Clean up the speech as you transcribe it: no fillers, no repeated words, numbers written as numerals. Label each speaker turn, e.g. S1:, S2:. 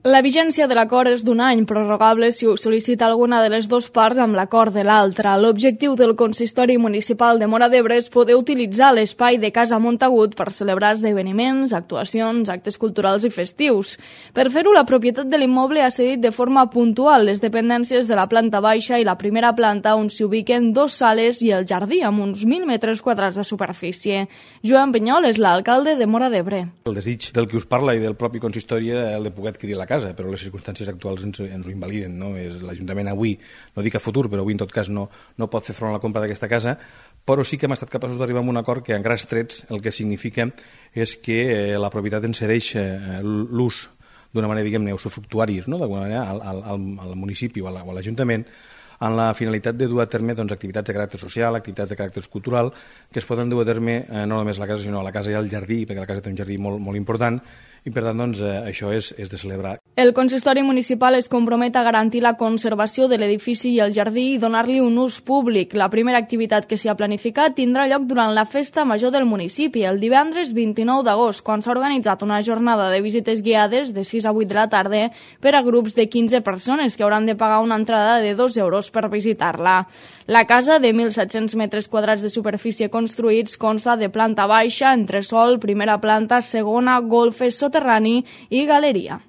S1: La vigència de l'acord és d'un any, prorrogable si ho sol·licita alguna de les dues parts amb l'acord de l'altra. L'objectiu del Consistori Municipal de Móra d'Ebre és poder utilitzar l'espai de Casa Montagut per celebrar esdeveniments, actuacions, actes culturals i festius. Per fer-ho, la propietat de l'immoble ha cedit de forma puntual les dependències de la planta baixa i la primera planta, on s'hi ubiquen dues sales i el jardí, amb uns 1.000 metres quadrats de superfície. Joan Penyol és l'alcalde de Móra d'Ebre.
S2: El desig del que us parla i del propi consistori era el de poder adquirir la casa, però les circumstàncies actuals ens ho invaliden, no? L'Ajuntament avui, no dic a futur, però avui en tot cas no pot fer front a la compra d'aquesta casa, però sí que hem estat capaços d'arribar a un acord que en grans trets el que significa és que la propietat ens cedeix l'ús d'una manera, diguem-ne, usufructuari, no? D'alguna manera al municipi o a l'Ajuntament, amb la finalitat de dur a terme activitats de caràcter social, activitats de caràcter cultural, que es poden dur a terme no només a la casa, sinó a la casa i al jardí, perquè la casa té un jardí molt important, i per tant això és de celebrar.
S1: El consistori municipal es compromet a garantir la conservació de l'edifici i el jardí i donar-li un ús públic. La primera activitat que s'hi ha planificat tindrà lloc durant la festa major del municipi, el divendres 29 d'agost, quan s'ha organitzat una jornada de visites guiades de 6 a 8 de la tarda per a grups de 15 persones que hauran de pagar una entrada de 2 euros per visitar-la. La casa, de 1.700 metres quadrats de superfície construïts, consta de planta baixa, entresòl, primera planta, segona, golfes, soterrani i galeria.